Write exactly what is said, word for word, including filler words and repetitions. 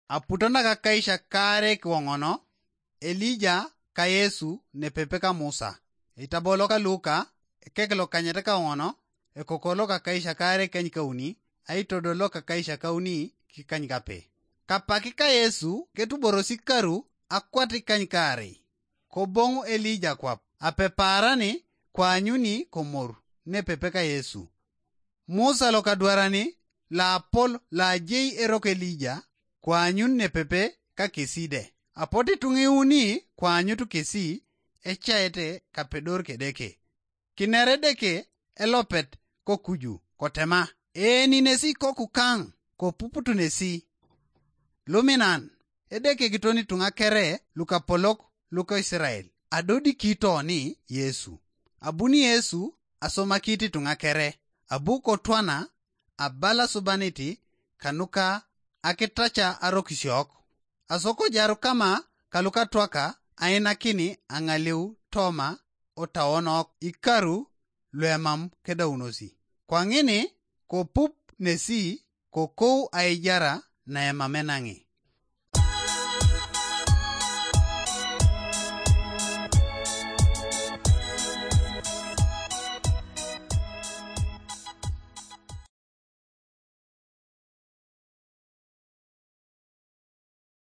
Aputo nakakaisha kaare kiwoŋono, Elija ka Yesu nepepe ka Musa. Eitabo loka Luka, ekek lokanyet kawoŋono, ekoko lokakaisha kaare kany kauni, aitodo lokakaisha kauni kikany kape. Kapaki ka Yesu ketuborosi karu akwat ikany kaarei. Koboŋu Elija kwap, apepaarani kwaanyuni komor nepepe ka Yesu. Musa lokadwarani laapol laajei eroko Elija kwaanyun nepepe ka kesi de. Apotu ituŋa iuni kwaanyutu kesi ecaete kapedor kedeke. Kinere Edeke elopet kokuju kotema, "Eeninesi kokukaŋ, kopuputunesi." Luminan, Edeke kiton ituŋa kere lukapolok luko Isirael, adodikito ni Yesu. Abuni Yesu asomaki ituŋa kere, abu kotwana abala subaniti kanuka akitaca arokisiok. Asokojaru kama kalukatwaka ainakini aŋaleu toma otawonok ikaru luemam kedaunosi. Kwaŋini kopup nesi kokou aijara naemam enaŋi.